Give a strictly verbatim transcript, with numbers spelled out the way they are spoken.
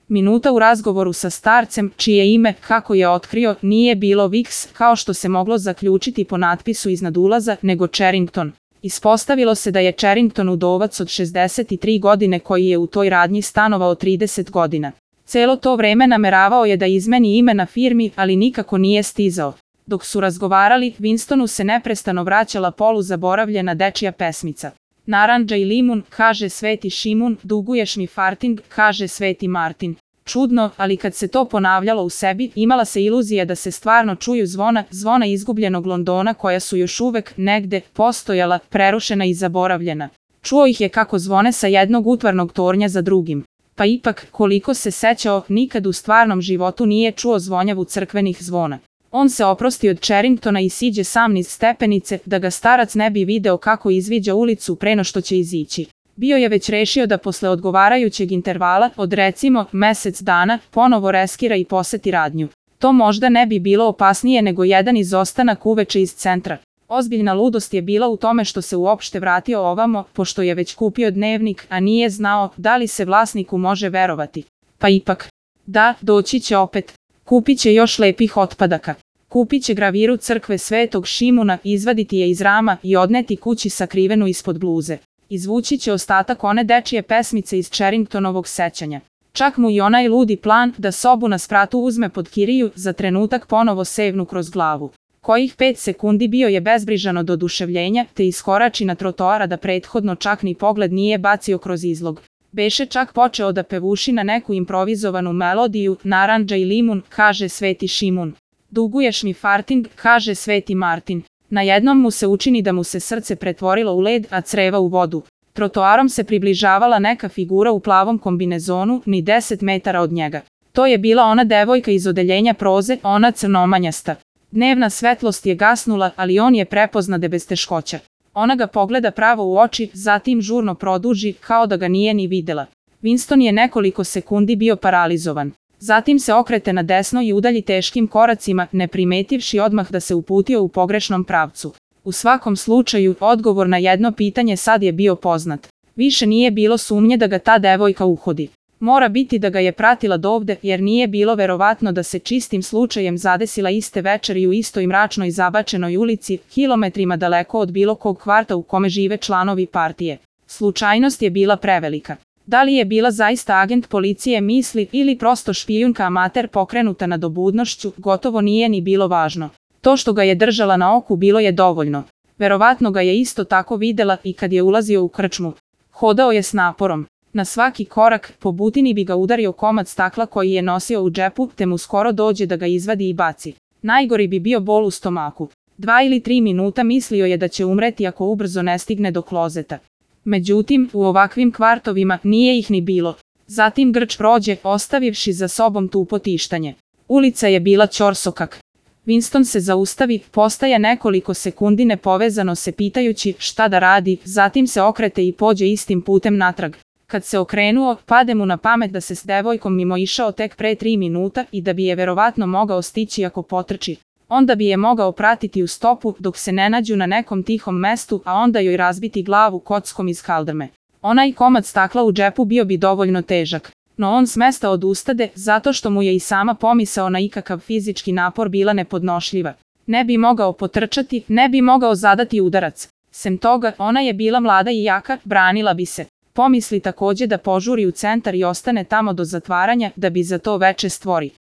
Minuta u razgovoru sa starcem, čije ime, kako je otkrio, nije bilo Viks, kao što se moglo zaključiti po natpisu iznad ulaza, nego Charrington. Ispostavilo se da je Charrington udovac od šezdeset tri godine koji je u toj radnji stanovao trideset godina. Celo to vreme nameravao je da izmeni ime na firmi, ali nikako nije stizao. Dok su razgovarali, Winstonu se neprestano vraćala poluzaboravljena dečija pesmica. Narandža i limun, kaže Sveti Šimun, duguješ mi farting, kaže Sveti Martin. Čudno, ali kad se to ponavljalo u sebi, imala se iluzija da se stvarno čuju zvona, zvona izgubljenog Londona koja su još uvek, negde, postojala, prerušena i zaboravljena. Čuo ih je kako zvone sa jednog utvarnog tornja za drugim. Pa ipak, koliko se sećao, nikad u stvarnom životu nije čuo zvonjavu crkvenih zvona. On se oprosti od Charringtona i siđe sam niz stepenice, da ga starac ne bi video kako izviđa ulicu pre no što će izići. Bio je već rešio da posle odgovarajućeg intervala, od recimo mesec dana, ponovo reskira i poseti radnju. To možda ne bi bilo opasnije nego jedan izostanak uveče iz centra. Ozbiljna ludost je bila u tome što se uopšte vratio ovamo, pošto je već kupio dnevnik, a nije znao da li se vlasniku može verovati. Pa ipak, da, doći će opet. Kupit će još lepih otpadaka. Kupit će graviru crkve Svetog Šimuna, izvaditi je iz rama i odneti kući sakrivenu ispod bluze. Izvući će ostatak one dečije pesmice iz Charringtonovog sećanja. Čak mu i onaj ludi plan da sobu na spratu uzme pod kiriju za trenutak ponovo sevnu kroz glavu. Kojih pet sekundi bio je bezbrižan od oduševljenja, te iskorači na trotoara da prethodno čak ni pogled nije bacio kroz izlog. Beše čak počeo da pevuši na neku improvizovanu melodiju, narandža i limun, kaže Sveti Šimun. Duguješ mi farting, kaže Sveti Martin. Najednom mu se učini da mu se srce pretvorilo u led, a creva u vodu. Trotoarom se približavala neka figura u plavom kombinezonu, ni deset metara od njega. To je bila ona devojka iz odeljenja proze, ona crnomanjasta. Dnevna svetlost je gasnula, ali on je prepoznade bez teškoća. Ona ga pogleda pravo u oči, zatim žurno produži, kao da ga nije ni videla. Winston je nekoliko sekundi bio paralizovan. Zatim se okrete na desno i udalji teškim koracima, ne primetivši odmah da se uputio u pogrešnom pravcu. U svakom slučaju, odgovor na jedno pitanje sad je bio poznat. Više nije bilo sumnje da ga ta devojka uhodi. Mora biti da ga je pratila dovde, jer nije bilo verovatno da se čistim slučajem zadesila iste večeri u istoj mračnoj zabačenoj ulici, kilometrima daleko od bilo kog kvarta u kome žive članovi partije. Slučajnost je bila prevelika. Da li je bila zaista agent policije misli ili prosto špijunka amater pokrenuta nadobudnošću, gotovo nije ni bilo važno. To što ga je držala na oku bilo je dovoljno. Verovatno ga je isto tako videla i kad je ulazio u krčmu. Hodao je s naporom. Na svaki korak, po butini bi ga udario komad stakla koji je nosio u džepu, te mu skoro dođe da ga izvadi i baci. Najgori bi bio bol u stomaku. Dva ili tri minuta mislio je da će umreti ako ubrzo ne stigne do klozeta. Međutim, u ovakvim kvartovima nije ih ni bilo. Zatim grč prođe, ostavivši za sobom tupo tištanje. Ulica je bila ćorsokak. Winston se zaustavi, postaje nekoliko sekundi nepovezano se pitajući šta da radi, zatim se okrete i pođe istim putem natrag. Kad se okrenuo, pade mu na pamet da se s devojkom mimo išao tek pre tri minuta i da bi je verovatno mogao stići ako potrči. Onda bi je mogao pratiti u stopu dok se ne nađu na nekom tihom mestu, a onda joj razbiti glavu kockom iz kaldrme. Onaj komad stakla u džepu bio bi dovoljno težak. No on s mesta odustade, zato što mu je i sama pomisao na ikakav fizički napor bila nepodnošljiva. Ne bi mogao potrčati, ne bi mogao zadati udarac. Sem toga, ona je bila mlada i jaka, branila bi se. Pomisli takođe da požuri u centar i ostane tamo do zatvaranja, da bi za to veče stvori.